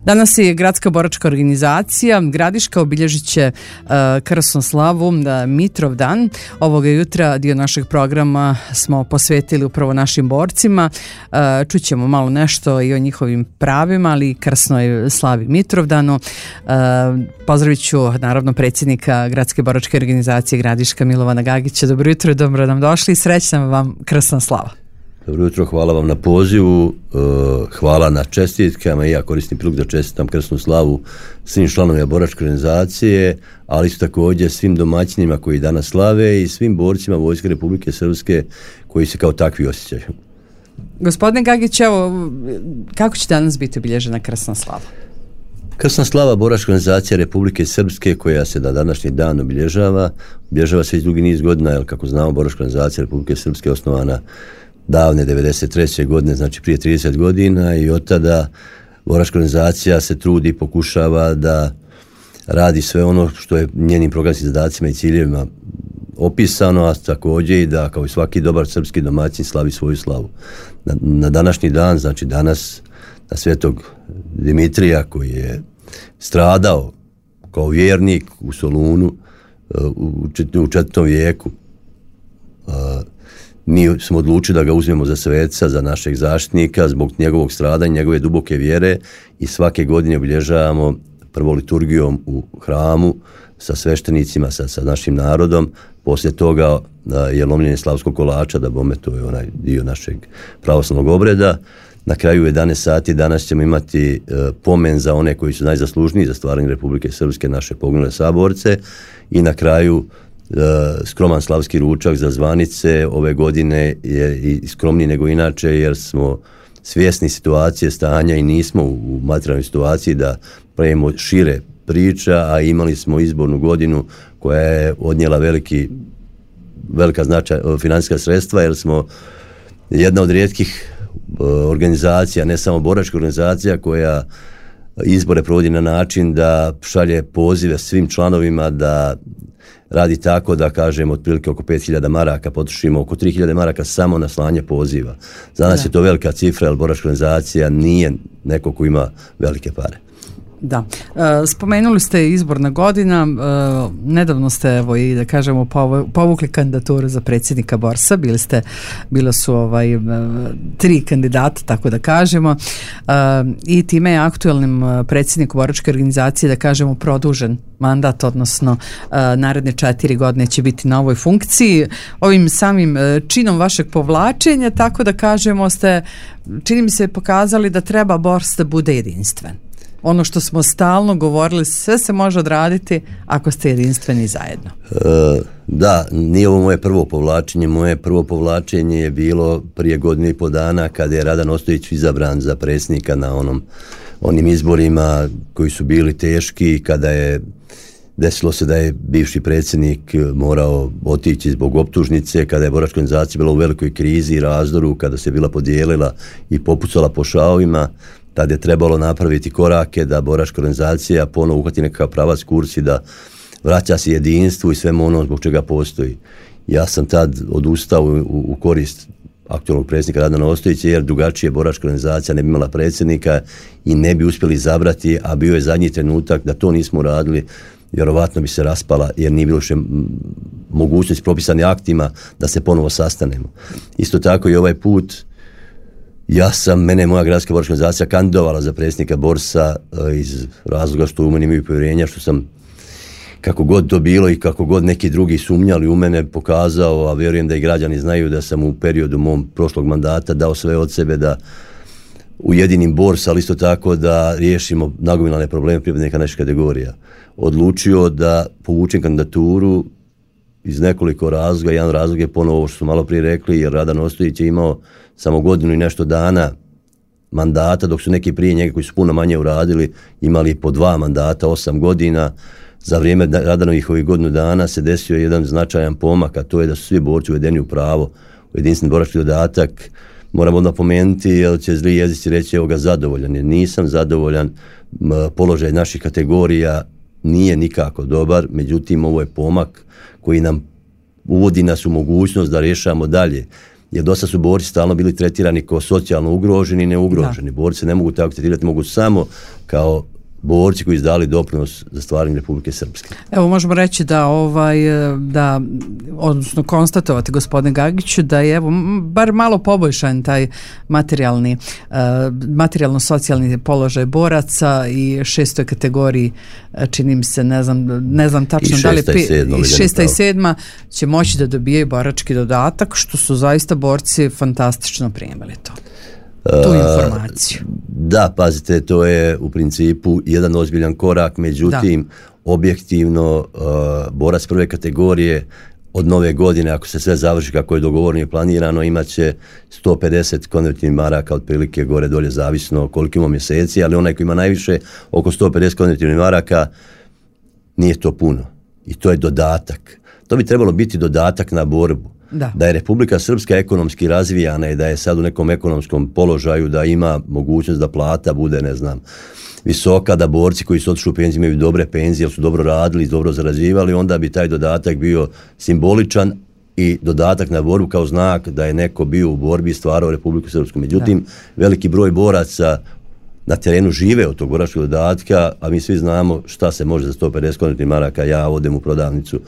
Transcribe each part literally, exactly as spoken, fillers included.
Danas je Gradska boračka organizacija Gradiška obilježit će uh, krasnu slavu uh, Mitrovdan. Ovoga jutra dio našeg programa smo posvetili upravo našim borcima. Uh, čućemo malo nešto i o njihovim pravima, ali i krasnoj slavi Mitrovdanu. Uh, pozdravit ću naravno predsjednika Gradske boračke organizacije Gradiška Milovana Gagića. Dobro jutro, dobro nam došli i srećna vam krasna slava. Dobro jutro, hvala vam na pozivu, hvala na čestitkama i ja koristim priliku da čestitam krasnu slavu svim članovima boračke organizacije, ali isto također svim domaćinima koji danas slave i svim borcima Vojske Republike Srpske koji se kao takvi osjećaju. Gospodine Gagić, evo, kako će danas biti obilježena krasna slava? Krasna slava boračka organizacija Republike Srpske koja se na današnji dan obilježava, obilježava se već dugi niz godina, jer kako znamo boračka organizacija Republike Srpske je osnovana davne devedeset treće godine, znači prije trideset godina, i od tada boračka organizacija se trudi i pokušava da radi sve ono što je njenim programskim zadacima i ciljevima opisano, a također i da kao i svaki dobar srpski domaćin slavi svoju slavu. Na, na današnji dan, znači danas, na svetog Dimitrija koji je stradao kao vjernik u Solunu u četvrtom vijeku, mi smo odlučili da ga uzmemo za sveca, za našeg zaštitnika, zbog njegovog stradanja, njegove duboke vjere, i svake godine obilježavamo prvo liturgijom u hramu sa sveštenicima, sa, sa našim narodom. Poslije toga je lomljenje slavskog kolača, da bome, to je onaj dio našeg pravoslavnog obreda. Na kraju jedanaest sati danas ćemo imati e, pomen za one koji su najzaslužniji za stvaranje Republike Srpske, naše poginule saborce, i na kraju skroman slavski ručak za zvanice. Ove godine je i skromniji nego inače, jer smo svjesni situacije stanja i nismo u materijalnoj situaciji da pravimo šire priča, a imali smo izbornu godinu koja je odnijela veliki, velika značaj, financijska sredstva, jer smo jedna od rijetkih organizacija, ne samo boračka organizacija, koja izbore provodi na način da šalje pozive svim članovima da radi tako da, kažem, otprilike oko pet hiljada maraka potrošimo oko tri hiljade maraka samo na slanje poziva. Za nas je to velika cifra, jer boračka organizacija nije neko ko ima velike pare. Da. E, spomenuli ste izborna godina, e, nedavno ste, evo, i da kažemo, povukli kandidaturu za predsjednika Borsa, bili ste, bilo su ovaj, tri kandidata, tako da kažemo, e, i time je aktualnim predsjedniku boračke organizacije, da kažemo, produžen mandat, odnosno e, naredne četiri godine će biti na ovoj funkciji. Ovim samim činom vašeg povlačenja, tako da kažemo, ste, čini mi se, pokazali da treba Bors da bude jedinstven. Ono što smo stalno govorili, sve se može odraditi ako ste jedinstveni zajedno. E, da, nije ovo moje prvo povlačenje. Moje prvo povlačenje je bilo prije godinu i po dana, kada je Radan Ostojić izabran za predsjednika na onom, onim izborima koji su bili teški, kada je desilo se da je bivši predsjednik morao otići zbog optužnice, kada je boračka organizacija bila u velikoj krizi i razdoru, kada se bila podijelila i popucala po šavovima. Tad je trebalo napraviti korake da boračka organizacija ponovo uhvati nekakav pravac, kurs i da vraća se jedinstvu i svemu ono zbog čega postoji. Ja sam tad odustao u, u korist aktualnog predsjednika Radana Ostojića, jer drugačije boračka organizacija ne bi imala predsjednika i ne bi uspjeli izabrati, a bio je zadnji trenutak da to nismo radili, vjerovatno bi se raspala, jer nije bilo še mogućnost propisani aktima da se ponovo sastanemo. Isto tako i ovaj put, ja sam, mene je moja gradska boračka organizacija kandidovala za predsjednika Borsa iz razloga što u meni imaju povjerenja, što sam, kako god to bilo i kako god neki drugi sumnjali u mene, pokazao, a vjerujem da i građani znaju da sam u periodu mom prošlog mandata dao sve od sebe da ujedinim Bors, ali isto tako da riješimo nagomilane probleme pripadnika naših kategorija. Odlučio da povučem kandidaturu iz nekoliko razloga. Jedan razlog je ponovo ovo što su malo prije rekli, jer Radan Ostojić je imao samo godinu i nešto dana mandata, dok su neki prije njega koji su puno manje uradili imali po dva mandata, osam godina. Za vrijeme Radanovih ovih godinu dana se desio jedan značajan pomak, a to je da su svi borci uvedeni u pravo, u jedinstveni borački dodatak. Moram odmah pomenuti, jer će zli jezici reći evo ga zadovoljan, jer nisam zadovoljan. Položaj naših kategorija nije nikako dobar, međutim ovo je pomak koji nam uvodi nas u mogućnost da rješavamo dalje jer dosta su borci stalno bili tretirani kao socijalno ugroženi i neugroženi. Da. Borci se ne mogu tako tretirati, mogu samo kao borci koji izdali doprinos za stvaranje Republike Srpske. Evo možemo reći da ovaj da odnosno konstatovati, gospodine Gagiću, da je evo bar malo poboljšan taj materijalni uh, materijalno socijalni položaj boraca i šestoj kategoriji, čini mi se, ne znam ne znam tačno da li i šesta i sedma će moći da dobijaju borački dodatak, što su zaista borci fantastično primili to. Tu informaciju. Uh, da, pazite, to je u principu jedan ozbiljan korak, međutim, da. objektivno uh, borac prve kategorije od nove godine, ako se sve završi kako je dogovoreno i planirano, imat će sto pedeset konvertibilnih maraka, otprilike gore dolje, zavisno koliko ima mjeseci, ali onaj koji ima najviše, oko sto pedeset konvertibilnih maraka, nije to puno. I to je dodatak. To bi trebalo biti dodatak na borbu. Da. da je Republika Srpska ekonomski razvijana i da je sad u nekom ekonomskom položaju, da ima mogućnost da plata bude, ne znam, visoka, da borci koji su otišli u penziju imaju dobre penzije, jer su dobro radili, dobro zarađivali, onda bi taj dodatak bio simboličan i dodatak na borbu kao znak da je neko bio u borbi i stvarao Republiku Srpsku. Međutim, da. veliki broj boraca na terenu žive od tog boračkog dodatka, a mi svi znamo šta se može za sto pedeset konvertibilnih maraka. Ja odem u prodavnicu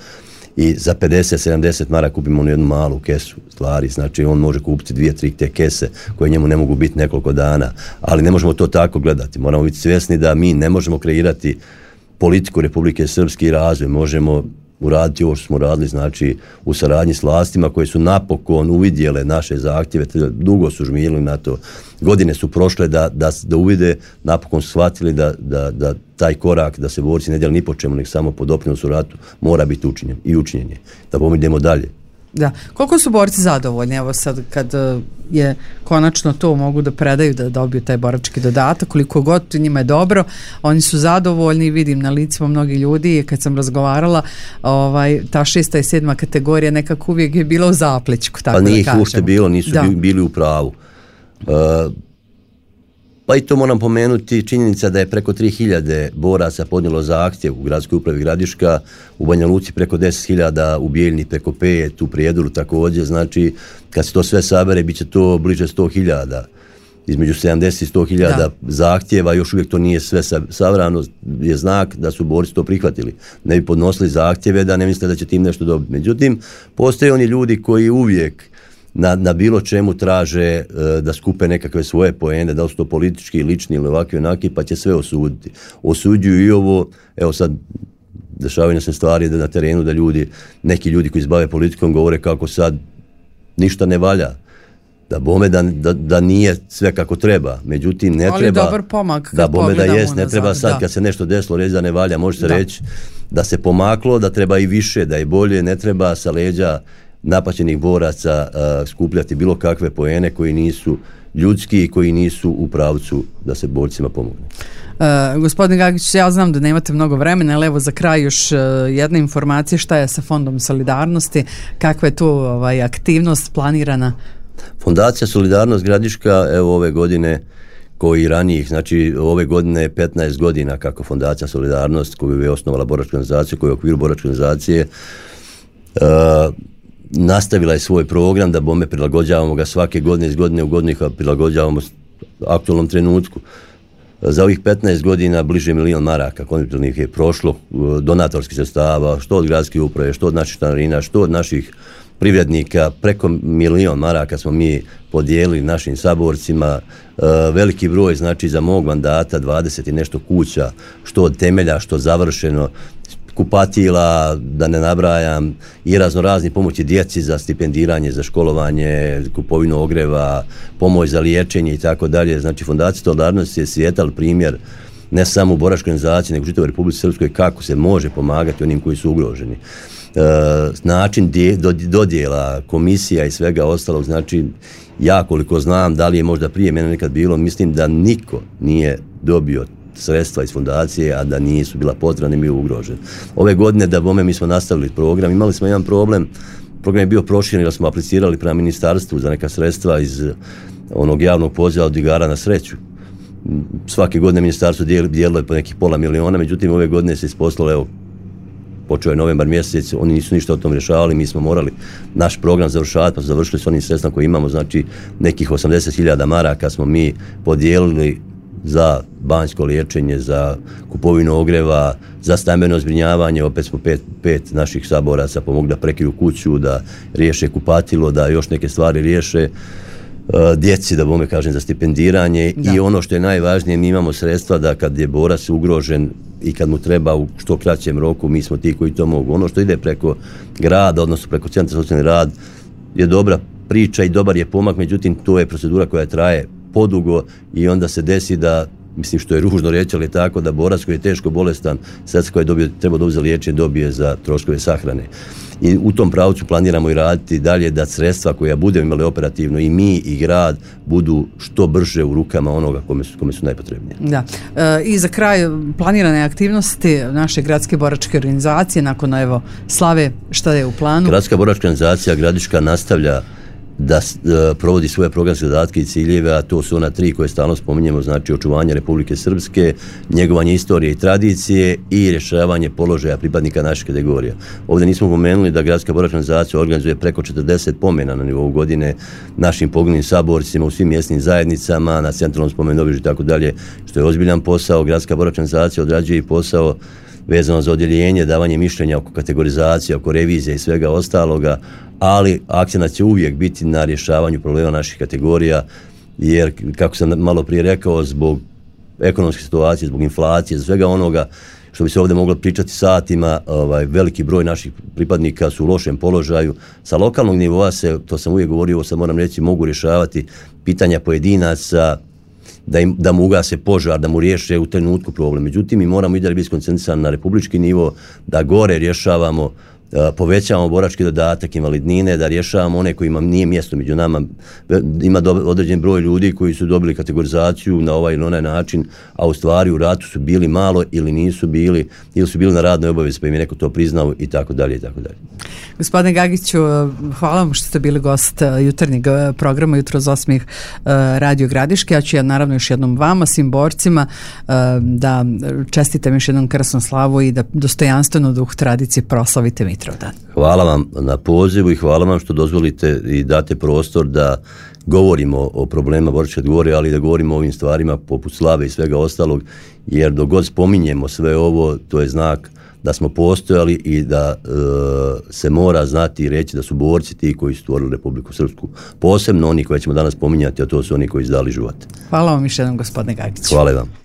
i za pedeset sedamdeset maraka kupimo onu jednu malu kesu stvari, znači on može kupiti dvije, tri te kese koje njemu ne mogu biti nekoliko dana, ali ne možemo to tako gledati, moramo biti svjesni da mi ne možemo kreirati politiku Republike Srpske i razvoj, možemo uraditi ovo što smo radili, znači u saradnji s vlastima koje su napokon uvidjele naše zahtjeve, dugo su žmirili na to, godine su prošle da, da, da uvide, napokon su shvatili da, da, da taj korak, da se borci ne dijeli ni po čemu, nek samo po doprinosu ratu, mora biti učinjen i učinjen je, da pomidemo dalje. Da. Koliko su borci zadovoljni, evo sad kad je konačno to mogu da predaju, da dobiju taj borački dodatak, koliko god njima je dobro, oni su zadovoljni, vidim na licima mnogi ljudi, kad sam razgovarala, ovaj, ta šesta i sedma kategorija nekako uvijek je bila u zapličku, tako pa da kažemo. Pa nije ih ušte bilo, nisu da. bili u pravu. Uh, Pa i to moram pomenuti, činjenica da je preko tri hiljade boraca podnijelo zahtjev u gradskoj upravi Gradiška, u Banja Luci preko deset hiljada, u Bijeljni preko pet, u Prijedolu također, znači kad se to sve sabere bit će to bliže sto hiljada, između sedamdeset i sto hiljada zahtjeva, još uvijek to nije sve savrano, je znak da su borci to prihvatili. Ne bi podnosili zahtjeve da ne misle da će tim nešto dobiti. Međutim, postoje oni ljudi koji uvijek Na, na bilo čemu traže uh, da skupe nekakve svoje poene, da li su to politički, lični ili ovakvi onaki, pa će sve osuditi. Osuđuju i ovo, evo sad dešavaju se stvari da na terenu da ljudi, neki ljudi koji se bave politikom govore kako sad ništa ne valja, da bome da, da, da nije sve kako treba, međutim ne ali treba, dobar pomak, da bome da jest, ne treba sad da. Kad se nešto desilo reći da ne valja, može se da. reći da se pomaklo, da treba i više, da je bolje, ne treba sa leđa napaćenih boraca uh, skupljati bilo kakve poene koji nisu ljudski i koji nisu u pravcu da se borcima pomogne. Uh, gospodin Gagić, ja znam da nemate mnogo vremena, ali evo za kraj još uh, jedna informacija, šta je sa Fondom Solidarnosti, kakva je tu ovaj, aktivnost planirana? Fondacija Solidarnost Gradiška, evo ove godine koji ranijih, znači ove godine je petnaest godina kako Fondacija Solidarnost koju je osnovala boračka organizacija, koja je u okviru boračke organizacije uh, nastavila je svoj program da bome prilagođavamo ga svake godine, iz godine u godinu prilagođavamo aktualnom trenutku. Za ovih petnaest godina bliže milion maraka konvertibilnih je prošlo donatorskih sredstava, što od gradske uprave, što od naših članarina, što od naših privrednika, preko milion maraka smo mi podijelili našim saborcima, veliki broj, znači za mog mandata dvadeset i nešto kuća, što od temelja, što završeno, kupatila, da ne nabrajam, i razno razni pomoći djeci za stipendiranje, za školovanje, kupovinu ogreva, pomoć za liječenje i tako dalje. Znači Fondacija Solidarnosti je svijetal primjer ne samo u boračkoj organizaciji, nego u čitavoj Republici Srpskoj kako se može pomagati onim koji su ugroženi. E, način dodjela, komisija i svega ostalog, znači ja koliko znam, da li je možda prije mene nekad bilo, mislim da niko nije dobio sredstva iz fondacije, a da nisu bila potrebna ni bio ugrožen. Ove godine da bome mi smo nastavili program, imali smo jedan problem, program je bio proširen jer smo aplicirali prema ministarstvu za neka sredstva iz onog javnog poziva od igara na sreću. Svake godine ministarstvo dijelilo je po nekih pola miliona, međutim ove godine se isposlalo, evo, počeo je novembar mjesec, oni nisu ništa o tom rješavali, mi smo morali naš program završavati, pa završili s onim sredstvom koje imamo, znači nekih osamdeset hiljada maraka smo mi podijelili za banjsko liječenje, za kupovinu ogreva, za stambeno zbrinjavanje, opet smo pet, pet naših saboraca pomogli da prekriju kuću, da riješe kupatilo, da još neke stvari riješe, djeci, da bome kažem, za stipendiranje. Da. I ono što je najvažnije, mi imamo sredstva da kad je borac ugrožen i kad mu treba u što kraćem roku, mi smo ti koji to mogu. Ono što ide preko grada, odnosno preko centra za socijalni rad, je dobra priča i dobar je pomak, međutim to je procedura koja traje podugo i onda se desi da, mislim što je ružno reći, ali je tako da borac koji je teško bolestan, sredstva koje je dobio, treba dobiti za liječenje, dobije za troškove sahrane. I u tom pravcu planiramo i raditi dalje da sredstva koja budemo imali operativno i mi i grad budu što brže u rukama onoga kome su, kome su najpotrebnije. Da. E, I za kraj planirane aktivnosti naše gradske boračke organizacije nakon evo slave, šta je u planu? Gradska boračka organizacija Gradiška nastavlja da uh, provodi svoje programske zadatke i ciljeve, a to su ona tri koje stalno spominjemo, znači očuvanje Republike Srpske, njegovanje istorije i tradicije i rješavanje položaja pripadnika naših kategorija. Ovdje nismo pomenuli da Gradska boračka organizacija organizuje preko četrdeset pomena na nivou godine našim poginulim saborcima u svim mjesnim zajednicama, na centralnom spomenobližju i tako dalje, što je ozbiljan posao. Gradska boračka organizacija odrađuje i posao vezano za odjeljenje, davanje mišljenja oko kategorizacije, oko revizije i svega ostaloga, ali akcenat će uvijek biti na rješavanju problema naših kategorija, jer, kako sam malo prije rekao, zbog ekonomske situacije, zbog inflacije, svega onoga što bi se ovdje moglo pričati satima, ovaj, veliki broj naših pripadnika su u lošem položaju. Sa lokalnog nivoa se, to sam uvijek govorio, sad moram reći, mogu rješavati pitanja pojedinaca, da, im, da mu ugase požar, da mu riješe u trenutku problem. Međutim, mi moramo i dalje biti skoncentrisani na republički nivo, da gore rješavamo, povećavamo borački dodatak, invalidnine, da rješavamo one kojima nije mjesto među nama. Ima do, određen broj ljudi koji su dobili kategorizaciju na ovaj ili onaj način, a u stvari u ratu su bili malo ili nisu bili, ili su bili na radnoj obavezi pa im je neko to priznao i tako dalje i tako dalje. Gospodine Gagiću, hvala vam što ste bili gost jutarnjeg programa Jutro za osmih Radio Gradiške. Ja ću ja naravno još jednom vama, svim borcima, da čestitam još jednom krasnu slavu i da dostojanstveno duh tradicije proslavite Mitrovdan. Hvala vam na pozivu i hvala vam što dozvolite i date prostor da govorimo o problemima boračke kategorije, ali da govorimo o ovim stvarima poput slave i svega ostalog, jer dok god spominjemo sve ovo, to je znak da smo postojali i da e, se mora znati i reći da su borci ti koji su stvorili Republiku Srpsku. Posebno oni koje ćemo danas spominjati, a to su oni koji izdali život. Hvala vam još jednom, gospodine Gagić. Hvala vam.